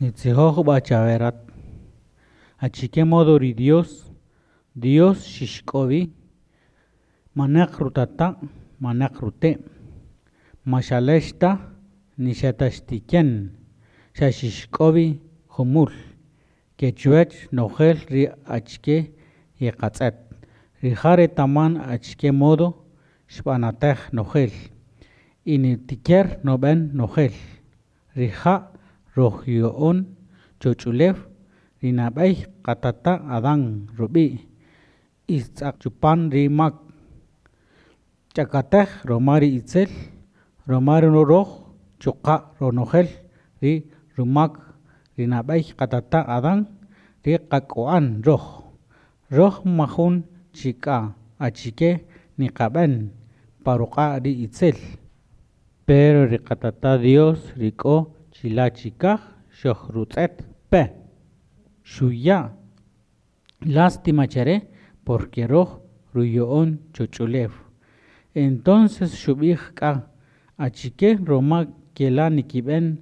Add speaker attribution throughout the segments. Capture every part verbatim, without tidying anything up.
Speaker 1: Nitzijoj b'a chawe rat, achike modo ri Dios, Dios xixk'o wi, maneq rutata', maneq rute', ma xalex ta, ni xa ta xtiken, xa xixk'o wi jumul. Ke chuwech nojel ri achike ngeqatz'et, rija' retaman achike modo xb'anatej nojel y nditiker ndub'en nojel. Rija' rojoyo'on choch'ulew ri nab'ey qatata' Adán rub'i', y xtzaq chupan ri mak. Xch'akatej roma ri itzel, roma roj chuqa' ronojel ri rumak ri nab'ey qatata' Adán ri qak'u'an roj. Roj ma jun chi k'a achike ndiqab'en pa ruq'a' ri itzel. Pero ri Qatata' Dios ri k'o chila' chikaj xojrutz'et pe, xuya' lástima chare porque roj ruyo'on choch'ulew. Entonces xub'ij k'a: "¿Achike roma kela' ndikib'en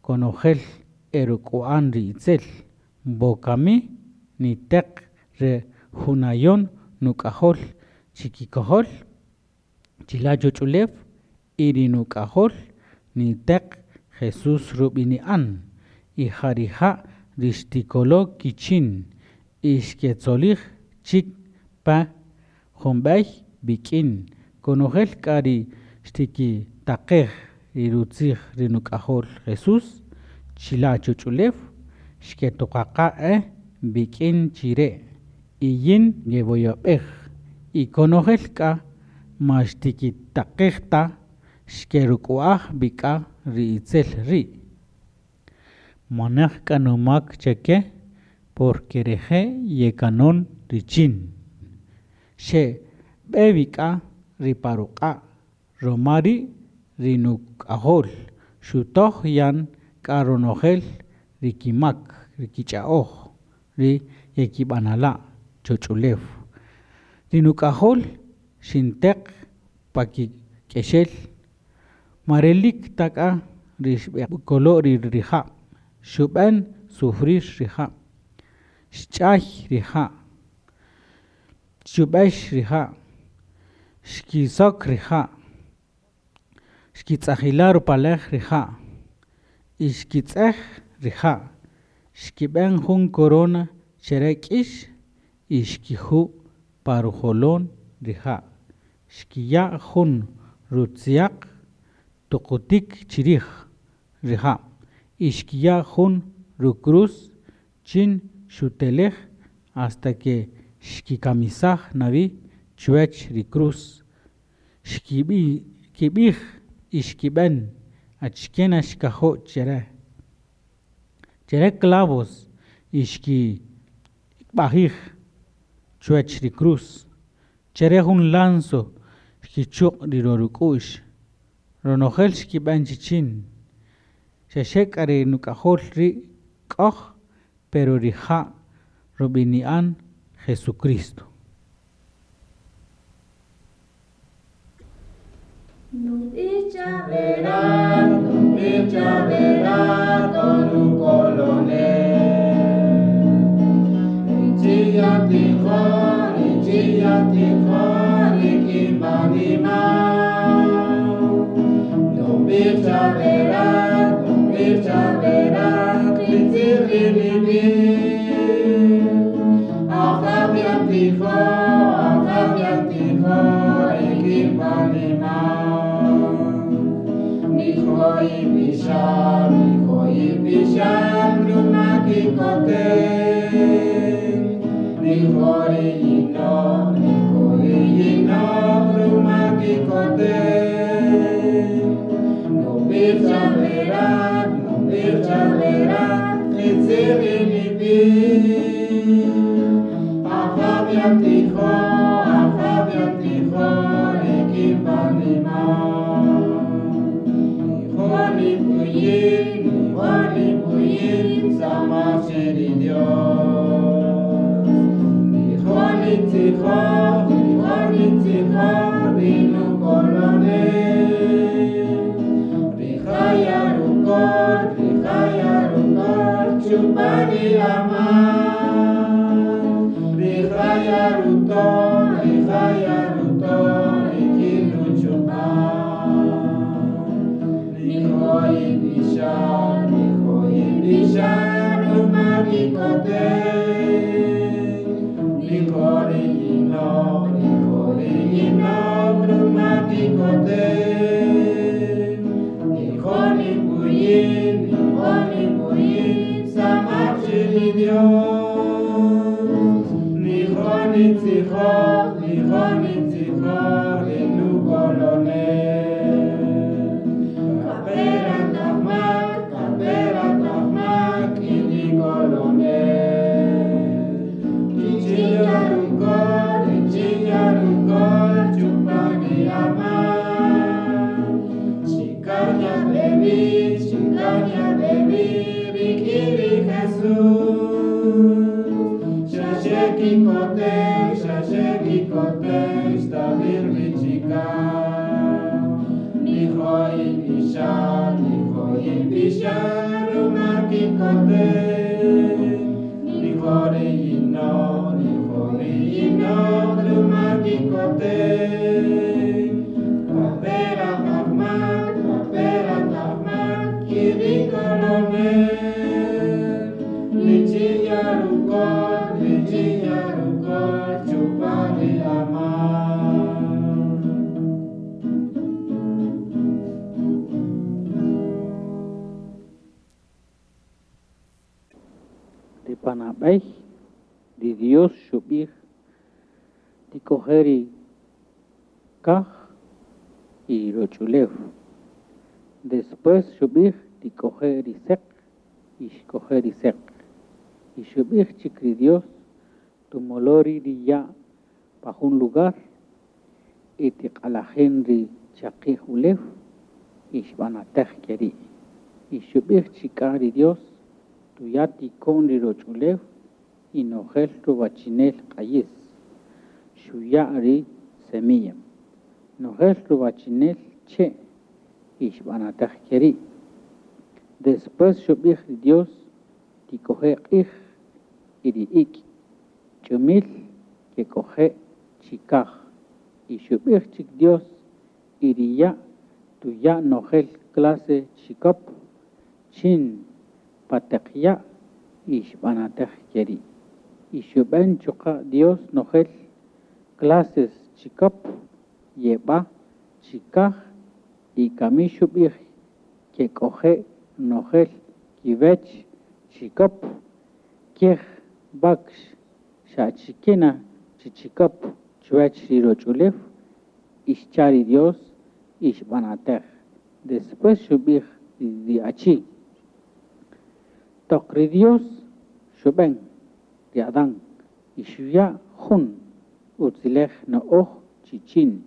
Speaker 1: konojel eruk'u'an ri itzel? Wokami niteq re junayon Nuk'ajol chikikojol chila' choch'ulew, y ri Nuk'ajol niteq, Jesús rub'ini'an, y ja rija' ri xtikolo kichin y xketzolij chik pe jumb'ey wik'in." Konojel k'a ri xtikitaqej ri rutzij ri Nuk'ajol Jesús chila' choch'ulew, xketuqaqa e wik'in chire' y yin ngewoyob'ej. Y konojel k'a ma xtikitaqej ta, xkeruk'u'aj wi k'a ri itzel ri'. Maneq k'a numak chake, porque reje' yekanon richin. Xeb'e wi k'a ri pa ruq'a'. Romari' ri Nuk'ajol xutoj yan k'a ronojel ri kimak ri kich'a'oj ri ngekib'anala' choch'ulew. Ri Nuk'ajol xinteq pa kik'exel, ma relik ta k'a ri xb'ekolo rija', xub'en sufrir rija', xch'ay rija', xchub'ex rija', xkisok rija', xkitz'ajila' rupalej rija' y xkitz'ej rija'. Xkib'en jun corona chare k'ix y xkiju' pa rujolon rija'. Xkiya' jun rutziaq tuqutik chirij rija' y xkiya' jun ru-cruz chin xutelej, hasta ke xkikamisaj na wi chuwech ri cruz. Xkib'ij y xkib'en achike na xkajo' chare, chare clavos y xkib'ajij chuwech ri cruz, chare jun lanzo xkichuq' ri ruruk'u'x, ronojel xkib'en chichin. Xaxe k'a ri Nuk'ajol ri' k'oj, pero rija' rub'ini'an Jesucristo.
Speaker 2: Nub'ij chawe rat, nub'ij chawe rat, oh nukolonel. Richin yatijoj, richin yatijoj, rik'in wanima. Nub'ij chawe rat, nub'ij chawe rat, qitzij ri nib'ij. Ajaw yatijoj, Ajaw yatijoj, rik'in wanima. Nijo' yib'ixan, nijo' yib'ixan, ruma kikotem. Nijo' ri yinoq', nijo' ri yinoq', ruma kikotem. Nub'ij chawe rat, nub'ij chawe rat, qitzij ri nib'ij. Ajaw yatijoj, Ajaw yatijoj, rik'in wanima. Nijo' nib'uyin, nijo' nib'uyin, samaj che ri Dios. Nijo' nitzijoj, nijo' nitzijoj, ri nukolonel. Rija' yarukol, rija' yarukol, chupani ama. Rijaya ruto, rijaya ruto, rikilu chupa. Nihoi bisha, nihoi bisha, rumarikote. Nihori yino, nihori yino, rumarikote. Nihoni buyin, nihoni buyin, samachili Dios. Nihoni tzijo, nihoni tzijo, rinu kolone. Kapera tahmak, kapera tahmak, ini kolone. Ichinyarukol, ichinyarukol, chupani ama. Chicanya baby, chicanya baby, rikiri Jesús. Shasheki kote, shasheki kote, shtabir vichika. Nihoi bisha, nihoi bisha, rumaki kote. Nihori yino, nihori yino, rumaki kote. Kapera tahmak, kapera tahmak, kiri kolone. Lichinyarukol, lichinyarukol, chupani ama.
Speaker 1: Ri panab'ey ri Dios xub'ij tik'oje ri kaj y roch'ulew. Después xub'ij tik'oje ri seq y xk'oje ri seq. Y xub'ij chik ri Dios tumolo ri ri ya' pa jun lugar y tiq'alajin ri chaqi'j ulew y xb'anatej keri'. Y xub'ij chik'a ri Dios tuya tiko'n ri roch'ulew y nojel ruwachinel q'ayis. Xuya' ri semilla. Nojel ruwachinel che' y xb'anatej keri'. Después xub'ij ri Dios tik'oje q'ij y ri ik' ch'umil kek'oje chikaj. Y xub'ij chik Dios y ri ya' tuya' nojel clase chikop chin pateq ya' y xb'anatej keri'. Y xub'en chuqa' Dios nojel clases chikop yeb'a chikaj y kami xub'ij kek'oje nojel kiwech chikop kej wakx xachikena chichikop chuwech ri roch'ulew y xcha ri Dios y xb'anatej. Después xub'ij ri achi. Toq ri Dios xub'en ri Adán y xuya' jun utzilej no'oj chichin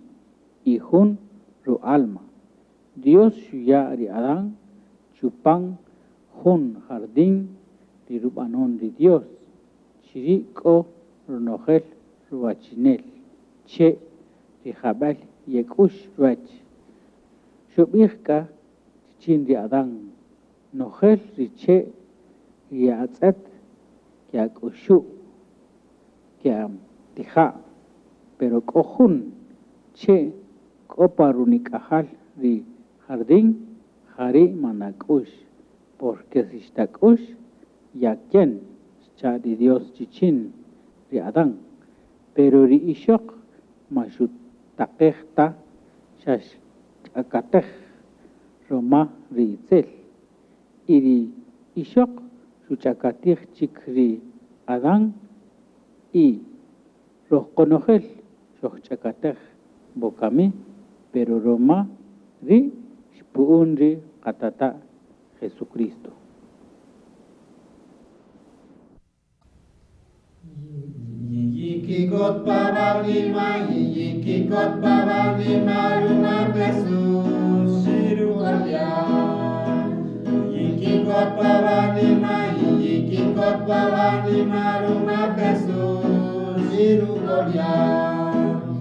Speaker 1: y jun ru'alma. Dios xuya' ri Adán chupan jun jardín ri rub'anon ri Dios. Chiri' k'o ronojel ruwachinel che' ri jab'el yek'ux ruwech. Xub'ij k'a chichin ri Adán nojel ri che' ye'atz'et ke'ak'uxu' ke'atija', pero k'o jun che' k'o pa runik'ajal ri jardín jari' manak'ux, porque si xtak'ux yaken xcha' ri Dios chichin ri Adán. Pero ri ixoq ma xutaqej ta xa xch'akatej roma ri itzel. Y ri ixoq xuch'akatij chik ri Adán y rojqonojel xojch'akatej bokami, pero roma ri xpu'un ri qatata' Jesucristo.
Speaker 2: Yikikot pavalima, yikikot pavalima, ruma Jesús, shirukolia. Yikikot pavalima, yikikot pavalima, ruma Jesús, shirukolia.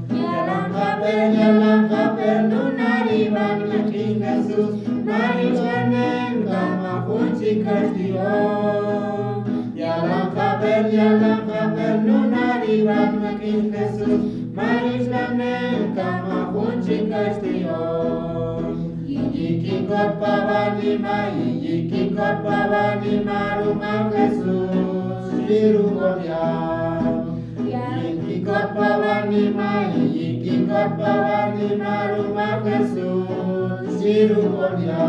Speaker 2: Yalan jabel, yalan jabel, nunari van makin Jesús, Marishanen kama junchi kashtion. Yalan jabel, yalan jabel, nunari van makin Jesús, Marishanen kama junchi kashtion. Yikikot pavanima, yikikot pavanima, ruma Jesús, Shirugoria. Yikikot pavanima, yikikot pavanima, ruma Jesús, Shirugoria.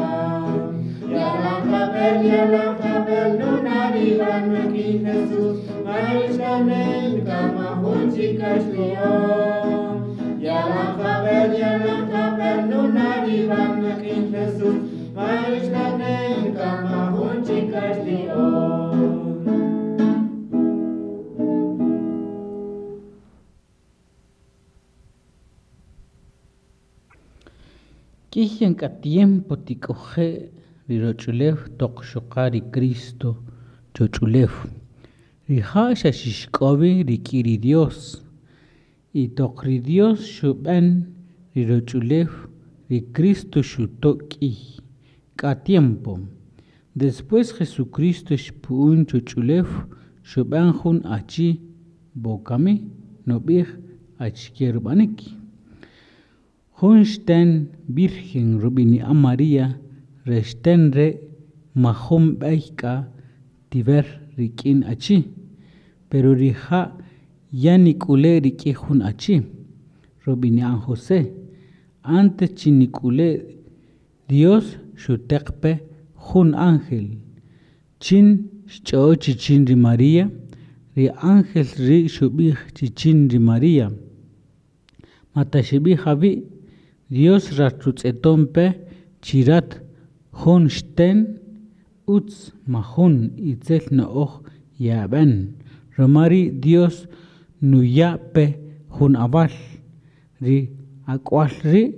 Speaker 2: Yalan jabel, yalan jabel, nunari van makin Jesús, Marishanen kama junchi kashtion. Yalan jabel, yalan jabel, nunari van makin Jesús, Marishanen kama junchi kashtion.
Speaker 1: Kihian ka tiempo tik'oje riroch'ulew toq xuqa ri Cristo choch'ulew. Rija' xa xixk'owi rik'in ri Dios. Y toq ri Dios xub'an riroch'ulew ri Cristo xuto' k'iy k'a tiempo. Después Jesucristo xpu'un choch'ulew xub'an jun achi bokami nub'ij achike rub'anik. Jun xten Virgen rub'ini'an María re xten re' majun b'ey k'a tiver rik'in achi, pero rija' ya nik'ule' rik'in jun achi rub'ini'an José. Antes chi nik'ule' Dios xuteq pe jun ángel chin xch'o'o chichin ri María. Ri ángel ri' xub'ij chichin ri María: Ma taxib'ij awi', Dios ratrutz'eton pe chi rat jun xten utz majun itzel na'oj ye'ab'en. Ruma ri' Dios nuya' pe jun awal, ri ak'wal ri'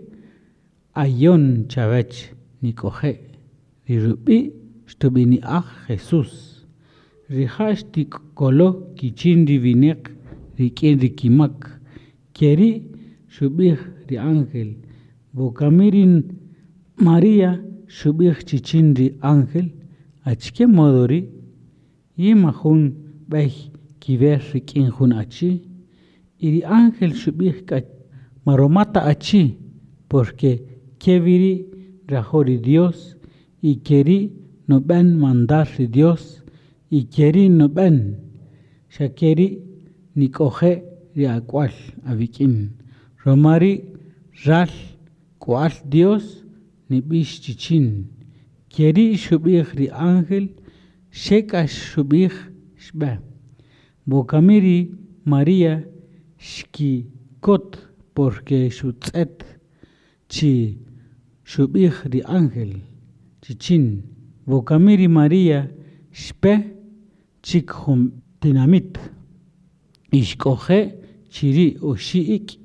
Speaker 1: ayon chawech nik'oje', ri rub'i' xtub'ini'aj Jesús. Rija' xtikolo kichin ri wineq rik'in ri kimak. Keri' xub'ij ri ángel. Bokami ri María xub'ij chichin ri ángel: Achike modo ri' yin majun b'ey kiwer rik'in jun achi. Y ri ángel xub'ij k'a ma ruma ta achi, porque kewiri' nrajo' ri Dios y keri' nub'en mandar ri Dios y keri' nub'en xa keri' nik'oje' ri ak'wal awik'in. Ruma ri' ral k'wal Dios nib'ix chichin. Keri' xub'ij ri ángel, xe k'a xub'ij xb'e. Bokami ri María xkikot porque xutz'et chi xub'ij ri ángel chichin. Bokami ri María xpe chik jun tinamit y xk'oje' chiri' oxi' ik'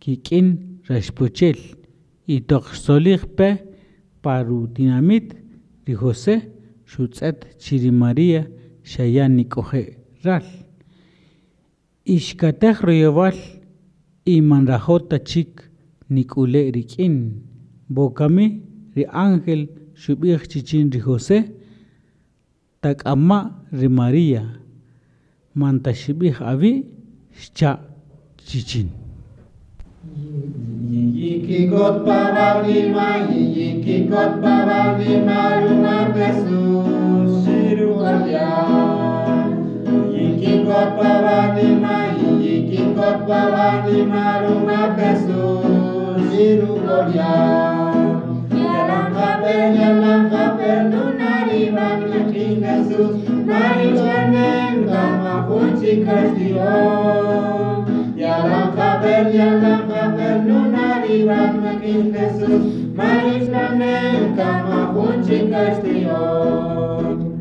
Speaker 1: kik'in raxpochel. Y toq xtzolij pe pa rutinamit ri José xutz'et chi ri María xa ya nik'oje' ral. Y xkatej royowal y man nrajo' ta chik nik'ule' rik'in. Bokami ri ángel xub'ij chichin ri José: Tak'ama' ri María, man taxib'ij awi', xcha' chichin.
Speaker 2: Yikikot pavanima, yikikot pavanima, ruma Jesús, Shirugoria. Yikikot pavanima, yikikot pavanima, ruma Jesús, Shirugoria. Yalan jabel, yalan jabel, nunari van makin Jesús, Marishanen kama junchi kashtion. Yalan jabel, yalan jabel, nunari van makin Jesús, Marishanen kama junchi kashtion.